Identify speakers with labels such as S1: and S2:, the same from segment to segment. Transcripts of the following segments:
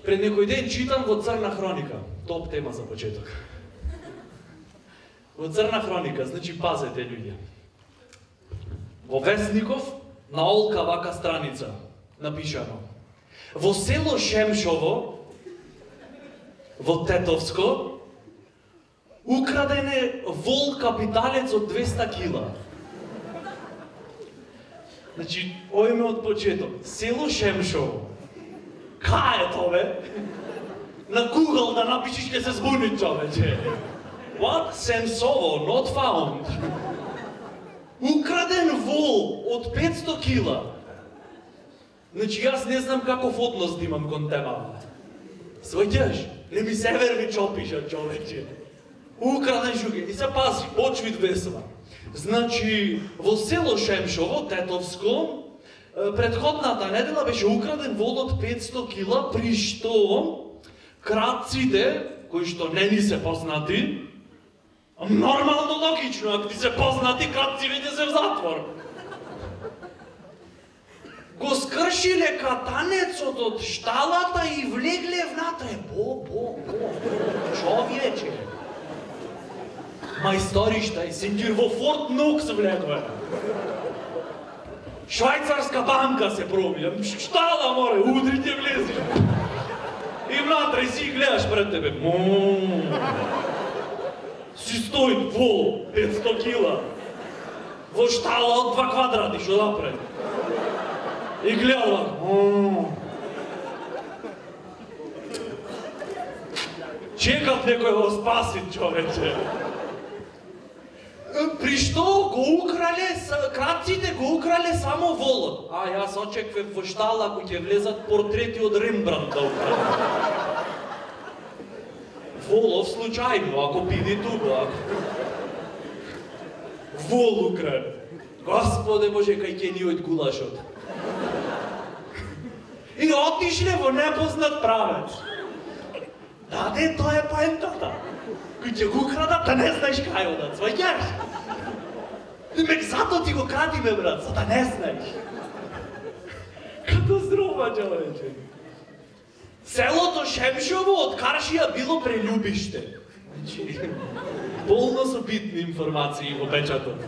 S1: Пред некој ден читам во Црна хроника. Топ тема за почеток. Во Црна хроника, значи пазете луѓе. Во Весников на Олка вака страница напишано. Во село Шемшово, во Тетовско, украдене вол капиталец од 200 кила. Значи, ојме од почеток. Село Шемшово. Кај е тоа, бе? На Google да напишиш ќе се збуни човече. What? Семсово, not found. Украден вол од 500 кила. Значи, јас не знам каков однос да имам кон темата. Сваќаш? Не ми се верви чопиша, човече. Украден жуге. И се пази, почвит весела. Значи, во село Шемшово, Тетовско, предходната недела беше украден вол од 500 кила, при што крадците, кои што не ни се познати, нормално логично, ако ти се познати, крадци веќе се в затвор. Го скршиле катанецот од шталата и влегле внатре. Човече. Мајсторишта и сингир во Форт Нокс влегле. Швајцарска банка се пробија. Штала море, удрите влези. И внатре си гледаш пред тебе. Си стои вол, 500 кила. Во штала од 2 квадрати, што напред. И гледала. Чекав некој го спаси, човече. При што го украле, крадците го украле само волот. А јас очеквев во штала кој ќе влезат портрети од Рембрандт да украле. Волов случајно, ако биде тука. Вол украле. Господе Боже, кај ќе ни од гулашот. И отишле во непознат правец. Даде, тоа е поентата. Кој ќе го крадат, да не знаеш кај одат, сваќаш? Мек зато ти го крадиме, брат, за да не знаеш. Катастрофа, човече. Селото Шемшово од Каршија било прелюбиште. Значи, полно со битни информации во печатот.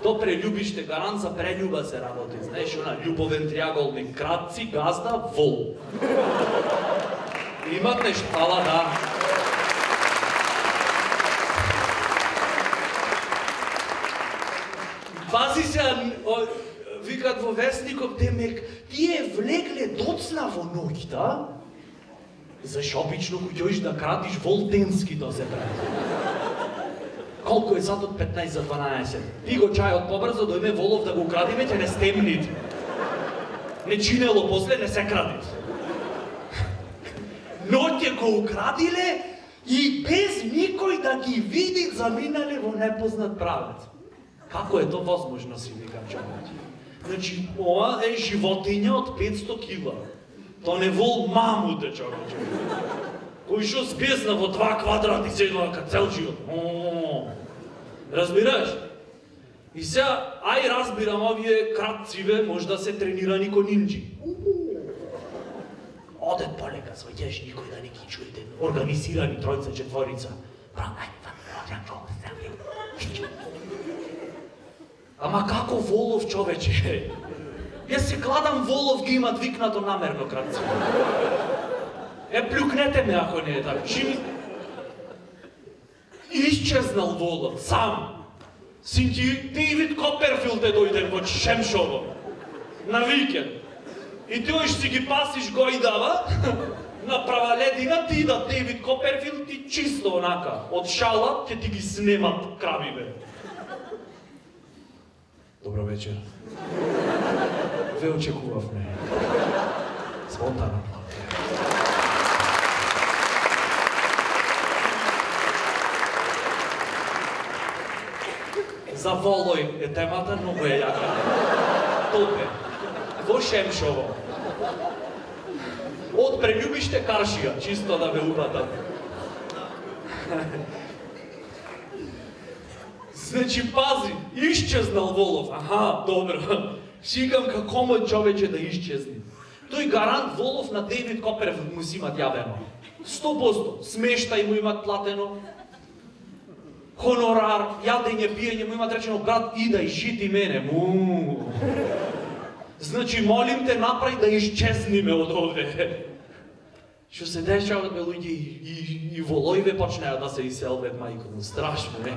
S1: То прелюбиште, гарант за прелюба се работи. Знаеш, она љубовен триаголник, кратци, газда, вол. Имате штала, да. Пази се, викат во Весников, демек, тие влегле доцна во ноќта, заш обично кој ќоиш да крадиш вол денски да се прави. Колку е сатот 15 за 12? Ти го чајот побрзо, дојме волов да го украдиме, ќе не стемнит. Не чинело после, не се крадит. Ноќе го украдиле и без никој да ги види заминале во непознат правец. Како е тоа возможно, си викам човече? Значи, ова е животиња од 500 кила. Тоа не вол мамуте, човече. Кој што спесна во 2 квадрати седува ка цел живот. Разбираш? И сега, ај разбирам, овие кратциве може да се тренирани ко нинџи. Одет полека, сваќаш, никој да не ги чуете. Организирани тројца, четворица. Ама како волов, човече? Јас се кладам волов ги имат викнато намерно кратци. Плюкнете ме ако не е така. Исчезнал волов, сам. Синти Дейвид Коперфилд е дојден во Шемшово. На викенд. И тој си ги пасиш гојдава, на права ледина ти да Дейвид Коперфилд ти чисто онака. Од шала ќе ти ги снемат кравиве. Добро вечер. Ве очекувавме. Спонтана плата. За волој е темата, многу е јака. Топе. Во Шемшово. Од прелюбиште Каршија, чисто да ме упатат. Значи, пази, исчезнал волов. Аха, добро. Сикам како мој човече да исчезни. Тој гарант Волов на Дейвид Коперев му си имат јавено. 100%. Смештај му имат платено. Хонорар, јадење, пиење му имат речено, брат, идај, шити мене. Значи, молим те, направи да исчезниме од овде. Што се дешават, бе, луѓе, и волојве почнеа да се иселват, мајко му, страшно, не?